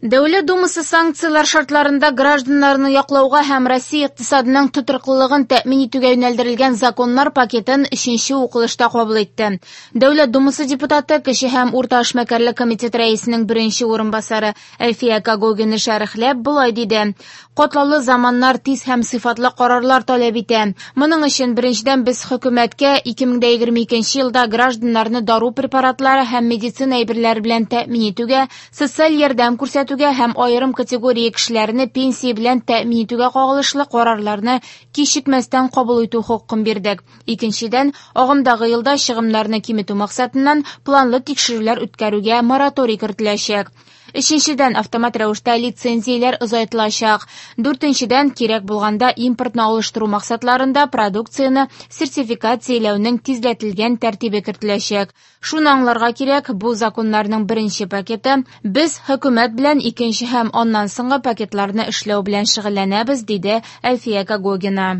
Дәүләт Думасы санкцияләр шартларында гражданнарны яклауга һәм Россия икътисадының тотрыклылыгын тәэмин итүгә юнәлдерелгән законнар пакетын өченче укылышта кабул итте. Дәүләт Думасы депутаты, кече һәм урта эшмәкәрлек комитет рәисенең беренче урынбасары Әлфия Когогина шәрехләп болай диде: "Катлаулы заманнар тиз һәм сыйфатлы карарлар таләп итә. Моның өчен беренчедән без хөкүмәткә 2022 елда гражданнарны дару препаратлары һәм медицина әйберләре белән тәэмин итүгә, социаль ярдәм күрсәтүгә һәм аерым категория кешеләрне пенсия белән тәэмин итүгә кагылышлы карарларны кичекмәстән кабул итү хокукын бирдек. Икенчедән, агымдагы елда чыгымнарны киметү максатыннан планлы тикшерүләр үткәрүгә мораторий кертеләчәк. Өченчедән, автомат рәвештә лицензияләр озайтылачак. Дүртенчедән, кирәк булганда импортны алыштыру максатларында продукцияне сертификацияләүнең тизләтелгән тәртибе кертеләчәк. Шуны аңларга кирәк, бу законнарның беренче пакеты, без хөкүмәт белән икенче һәм аннан соңгы пакетларны эшләү белән шөгыльләнәбез, диде Әлфия Когогина.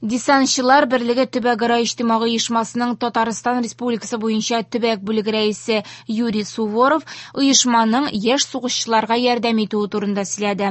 Десантчылар берлеге төбәкара иҗтимагый оешмасының Татарстан Республикасы буенча төбәк бүлеге рәисе Юрий Суворов оешманың яшь сугышчыларга ярдәм итүе турында сөйләде.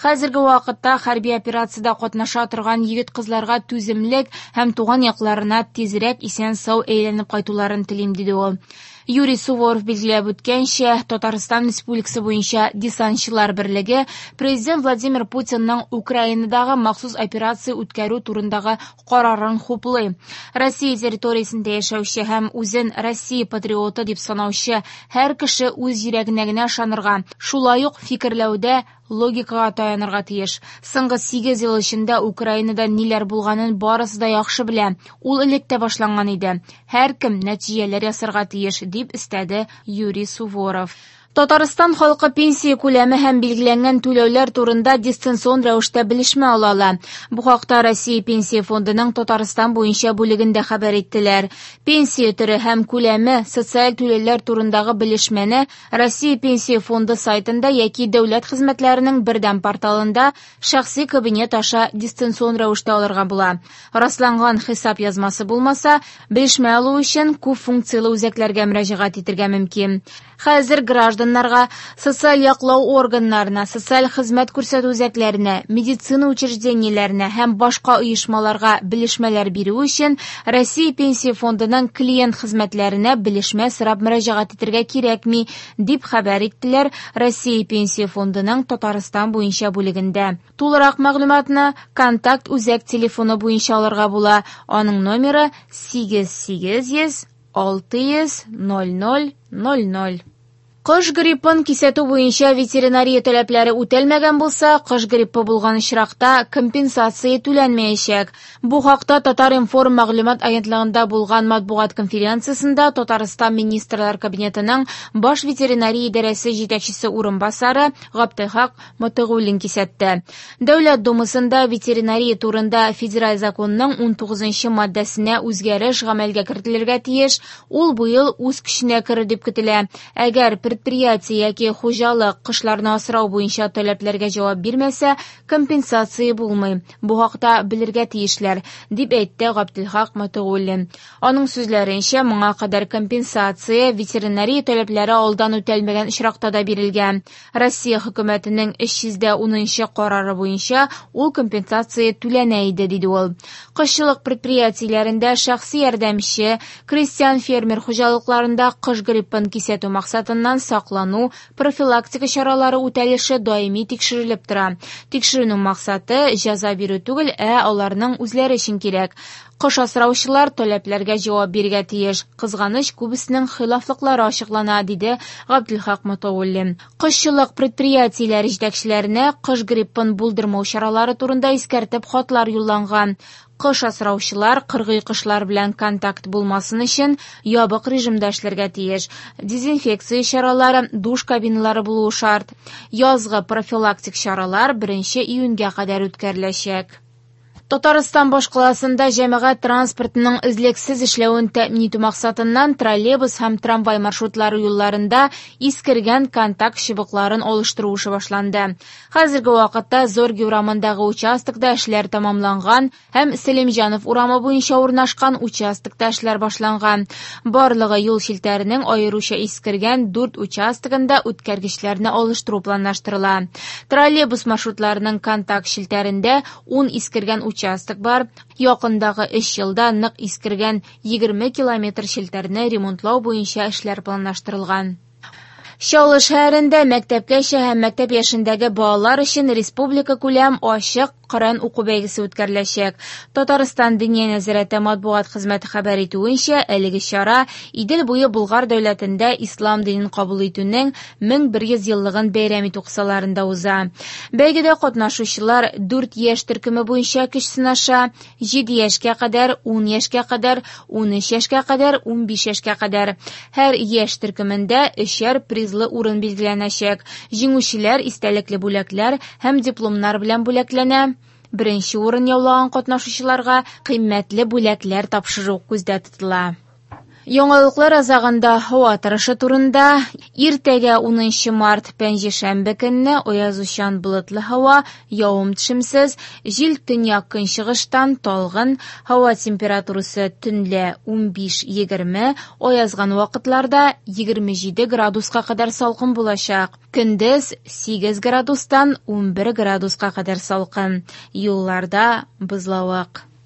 Хәзерге вакытта хәрби операциядә катнаша торган егет-кызларга түземлек һәм туган якларына тизрәк исән-сау әйләнеп кайтуларын телим, диде ул. Юрий Суворов билгеләп үткәнчә, Татарстан Республикасы буенча десантчылар берлеге Президент Владимир Путинның Украинадагы махсус операция үткәрү турындагы карарын хуплый. Россия территориясендә яшәүче һәм үзен Россия патриоты дип санаучы һәр кеше үз йөрәгенә генә ышанырга, шулай ук фикерләүдә логикага таянырга тиеш. Соңгы 8 ел эчендә Украинада ниләр булганын барысы да яхшы белә. Ул элек тә башланган иде. Һәркем нәтиҗәләр ясарга тиеш, дип өстәде Юрий Суворов. Татарстан халкы пенсия күләме һәм билгеләнгән түләүләр турында дистанцион рәвештә белешмә ала ала. Бу хакта Россия Пенсия фондының Татарстан буенча бүлегендә хәбәр иттеләр. Пенсия төре һәм күләме, социаль түләүләр турындагы белешмәне Россия Пенсия фонды сайтында яки дәүләт хезмәтләренең бердәм порталында шәхси кабинет аша дистанцион рәвештә алырга була. Расланган хисап язмасы булмаса, белешмә алу өчен күп функцияле үзәкләргә мөрәҗәгать итәргә мөмкин. Хәзер гражданнарга, социаль яклау органнарына, социаль хезмәт күрсәтү үзәкләренә, медицина учреждениеләренә һәм башка оешмаларга белешмәләр бирү өчен Россия Пенсия фондының клиент хезмәтләренә белешмә сорап мөрәҗәгать итәргә кирәкми, дип хәбәр иттеләр Россия Пенсия фондының Татарстан буенча бүлегендә. Тулырак мәгълүматны контакт үзәк телефоны буенча алырга була. Аның номеры 8800 600 00 00. Кош гриппын кисәтү буенча ветеринария таләпләре үтәлмәгән булса, кош гриппы булган очракта компенсация түләнмәячәк. Бу хакта Татар-информ мәгълүмат агентлыгында булган матбугат конференциясендә Татарстан Министрлар Кабинетының баш ветеринария идарәсе җитәкчесе урынбасары Габделхак Мотыйгуллин кисәтте. Дәүләт Думасында ветеринария турында федераль законның 19 маддәсенә үзгәреш гамәлгә кертелергә тиеш. Ул быел үз көченә керер дип көтелә. Әгәр предприятие яки хуҗалык кошларны асрау буенча таләпләргә җавап бирмәсә, компенсация булмый. Бу хакта белергә тиешләр, дип әйтте Габделхак Мотыйгуллин. Аның сүзләренчә, моңа кадәр компенсация ветеринария таләпләре алдан үтәлмәгән очракта да бирелгән. Россия хөкүмәтенең 310 карары буенча ул компенсация түләнә иде, диде ул. Кошчылык предприятиеләрендә шәхси ярдәмче, крестьян-фермер хуҗалыкларында кош гриппын кисәтү максатыннан саклану, профилактика чаралары үтәлеше даими тикшерелеп тора. Тикшерүнең максаты җәза бирү түгел, ә аларның үзләре өчен кирәк. Кош асраучылар таләпләргә җавап бирергә тиеш. Кызганыч, күбесенең хилафлыклары ачыклана, диде Габделхак Мотыйгуллин. Кошчылык предприятиеләре җитәкчеләренә кош гриппын булдырмау чаралары турында искәртеп хатлар юлланган. Кош асраучылар кыргый кошлар белән контакт булмасын өчен ябык режимда эшләргә тиеш. Дезинфекция чаралары, душ кабиналары булуы шарт. Язгы профилактик чаралар 1 июньгә кадәр үткәреләчәк. Татарстан башкаласында җәмәгать транспортының өзлексез эшләвен тәэмин итү максатыннан троллейбус һәм трамвай маршрутлары юлларында искергән контакт чыбыкларын алыштыру эше башланды. Хәзерге вакытта Зорге урамындагы участокта эшләр тәмамланган һәм Сәлимҗанов урамы буенча урнашкан участокта эшләр башланган. Барлыгы юл челтәренең аеруча искергән 4 участогында үткәргечләрне алыштыру планлаштырыла. Троллейбус маршрутларының контакт челтәрендә 10 искергән участок бар. Якындагы 3 елда нык искергән 20 километр челтәрне ремонтлау буенча эшләр планлаштырылган. Чаллы шәһәрендә мәктәпкәчә һәм мәктәп яшендәге балалар өчен республика күләм ачык Коръән уку бәйгесе үткәреләчәк. Татарстан Диния нәзарәте матбугат хезмәте хәбәр итүенчә, әлеге чара Идел буе Болгар дәүләтендә ислам динен кабул итүнең 1100 еллыгын бәйрәм итү кысаларында уза. Бәйгедә катнашучылар 4 яшь төркеме буенча көч сынаша: 7 яшькә кадәр, 10 яшькә кадәр, 13 яшькә кадәр, 15 яшькә кадәр. Һәр яшь төркемендә өчәр призлы урын билгеләнәчәк. Җиңүчеләр истәлекле бүләкләр һәм дипломнар белән бүләкләнә. Беренче урын яулаган катнашучыларга кыйммәтле бүләкләр тапшыру күздә тотыла. Яңалыклар азагында һава торышы турында. Иртәгә 10 март пәнҗешәмбе көнне аязучан болытлы һава, явым-төшемсез, җил төньяк-көнчыгыштан талгын, һава температурасы төнлә 15-20, аязган вакытларда 27 градуска кадәр салкын булачак. Көндез 8 градустан 11 градуска кадәр салкын. Юлларда бозлавык.